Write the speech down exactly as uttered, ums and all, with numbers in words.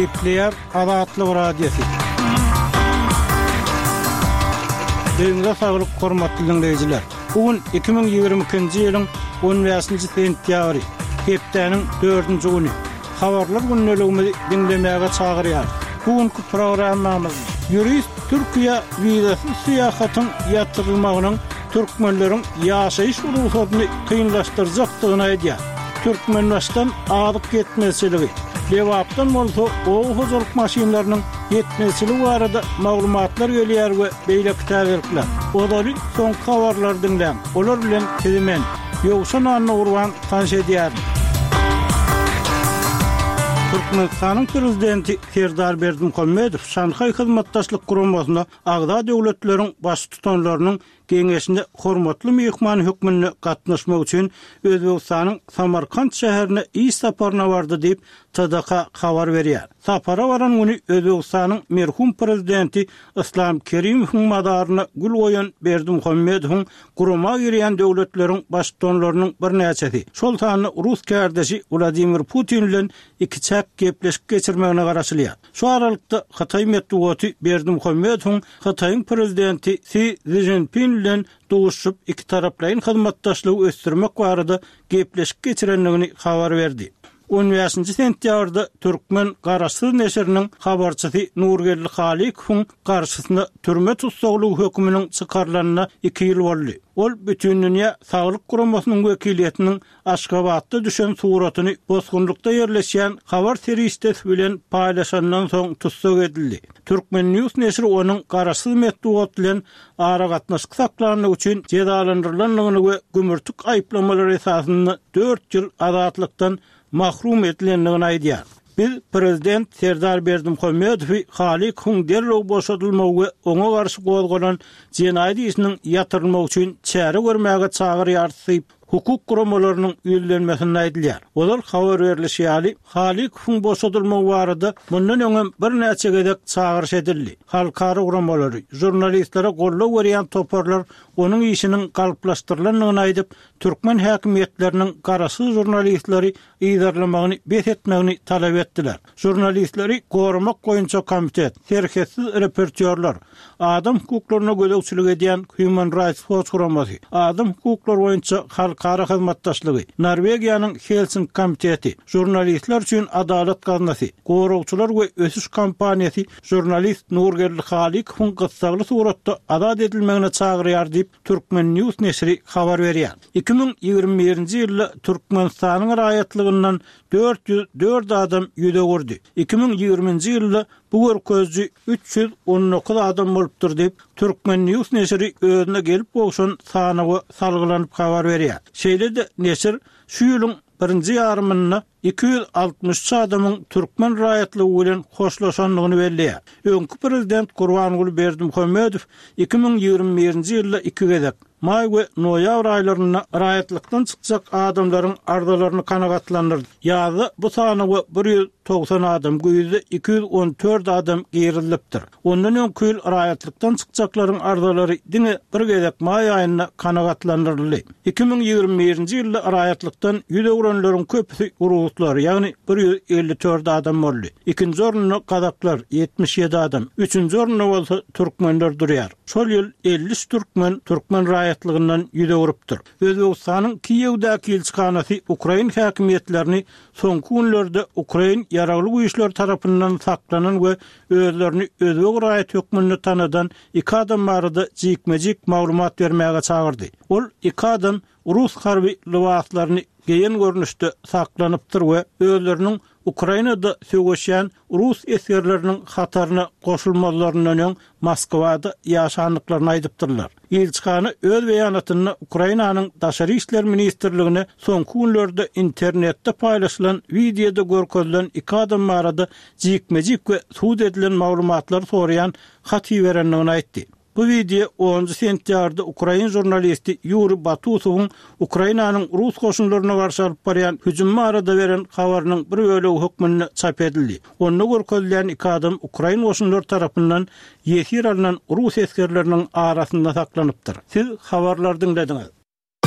Gepleýär Azatlyk Radiosy. Öýüňize saglyk, hormatly diňleýjiler. Bu gün iki müň ýigrimi ikinji ýylyň on bäşinji sentýabry, hepdäniň dördünji güni. Habarlar gündeligimizi diňlemäge çagyrýarys. Bu günki programmamyzda ýurist Türkiýä wizasyz syýahatyň ýatyrylmagynyň türkmenleriň ýaşaýyş rugsadyny kynlaşdyrjakdygyny aýdýar. Türkmenbaşydan azyk ýetmezçiligi, Lebapdan bolsa oba hojalyk maşynlarynyň ýetmezçiligi barada maglumatlar gelýär we beýleki täzelikler. Ozaly soňky habarlary diňläň. Olar bilen sizi men, Ýowşan Annagurban tanyş edýärin. Türkmenistanyň Prezidenti Serdar Berdimuhamedow Şanhaý Hyzmatdaşlyk Guramasyna agza döwletleriň baştutanlarynyň geňeşine hormatly myhman hökmünde gatnaşmak üçin Özbegistanyň Samarkant şäherine iş saparyna bardy diýip, T D K habar berýär. Sapara baran güni Özbegistanyň merhum prezidenti Islam Kerimowyň mazaryna gül goýan Berdimuhamedowyň gurama girýän döwletleriň baştutanlarynyň birnäçesi, şol sanda rus kärdeşi Wladimir Putin bilen ikiçäk gepleşik geçirmegine garaşylýar. Şu aralykda Hytaý metbugaty Berdimuhamedowyň Hytaýyň prezidenti Si Szinpin bilen duşup ikitaraplaýyn hyzmatdaşlygy ösdürmek barada gepleşik geçirendigini habar berdi. On bäşinji sentýabrda Türkmen Garaşsyz neşiriniň habarçysy Nurgeldi Halykowyň garşysyna türme tussaglygy höküminiň çykarylanyna iki ýyl boldy. Ol Bütindünýä Saglyk Guramasynyň wekiliýetiniň Aşgabatda düşen suratyny bosgunlykda ýerleşýän habar serişdesi bilen paýlaşandan soň tussag edildi. Türkmen News neşiri onuň garaşsyz metbugat bilen aragatnaşyk saklandygy üçin jezalandyrylandygyny we gümürtik aýyplamalary esasynda dört ýyl azatlykdan mahrum edilendigini aýdýar. Biz Prezident Serdar Berdimuhamedowy Halykowyň derrew boşadylmagy we oňa garşy gozgalan jenaýat işiniň ýatyrylmagy üçin çäre görmäge çagyrýarys diýip, hukuk guramalarynyň ýüzlenmesinde aýdylýar. Olar habar berlişi ýaly, Halykowyň boşadylmagy barada mundan öňem birnäçe gezek çagyryş edildi. Halkara guramalary, žurnalistlere goldaw berýän toparlar onuň işiniň galplaşdyrylandygyny aýdyp, türkmen häkimiýetleriniň garaşsyz žurnalistleri yzarlamagyny bes etmegini talap etdiler. Žurnalistleri goramak boýunça komitet, serhetsiz reportýorlar, adam hukuklaryna gözegçilik edýän Human Rights Watch guramasy, adam hukuklary boýunça halkara hyzmatdaşlygy, Norwegiýanyň Helsinki komiteti, žurnalistler üçin adalat gaznasy, goragçylar we ösüş kompaniýasy žurnalist Nurgeldi Halykowyň gyssagly suratda azat edilmegine çagyrýar diýip, Türkmen News neşiri habar berýär. Iki müň ýigrimi birinji ýylda Türkmenistanyň raýatlygyndan dört ýüz dört adam ýüz öwürdi. Iki müň ýigriminji ýylda bu görkeziji üç ýüz on dokuz adam bolupdyr diýip, Türkmen News neşiri özüne gelip gowşan sanawa salgylanyp habar berýär. Şeýle-de neşir şu ýylyň birinji ýarymynda iki ýüz altmyş üç adamyň türkmen raýatlygy bilen hoşlaşandygyny belleýär. Öňki prezident Gurbanguly Berdimuhamedow iki müň ýigrimi birinji ýylda iki gezek, maý we noýabr aýlarynda raýatlykdan çykjak adamlaryň arzalaryny kanagatlandyrdy. Ýazda bu sanawa bir ýüz togsan adam, güýzde iki ýüz on dört adam girizilipdir. Ondan öňki ýyl raýatlykdan çykjaklaryň arzalary diňe bir gezek maý aýynda kanagatlandyryldy. Iki müň ýigrimi birinji ýylda raýatlykdan ýüz öwrenleriň köpüsi ruslar, ýagny bir ýüz elli dört adam boldy. Ikinji orunda gazaklar ýetmiş ýedi adam, üçünji orunda bolsa türkmenler durýar. Şol ýyl elli üç türkmen türkmen raýatlygyndan ýüz öwrüpdir. Özbegistanyň Kiýewdäki ilçihanasy Ukrain häkimiýetlerini soňky günlerde Ukrain ýaragly güýçleri tarapyndan saklanan we özlerini özbek raýat hökmünde tanadan iki adam barada jikme-jik maglumat bermäge çagyrdy. Ol iki adam rus harby lybaslaryny geýen görnüşde saklanypdyr we özleriniň Ukrainada söweşýän rus esgerleriniň hataryna goşulmazlaryndan öň Moskwada ýaşandyklaryny aýdypdyrlar. Ilçihana öz beýanatynda Ukrainanyň Daşary işler ministrligine soňky günlerde internetde paýlaşylan wideoda görkezilen iki adam barada jikme-jik we sud edilen maglumatlary soraýan hat iberendigini aýtdy. Bu video onuncu sentýabrda ukrain žurnalisti Ýuri Batusowyň Ukrainanyň rus goşunlaryna garşy alyp barýan hüjüm barada beren habarynyň bir bölegi hökmünde çap edildi. Onda görkezilen iki adam ukrain goşunlary tarapyndan ýesir alynan rus esgerleriniň arasynda saklanypdyr. Siz habarlary diňlediňiz.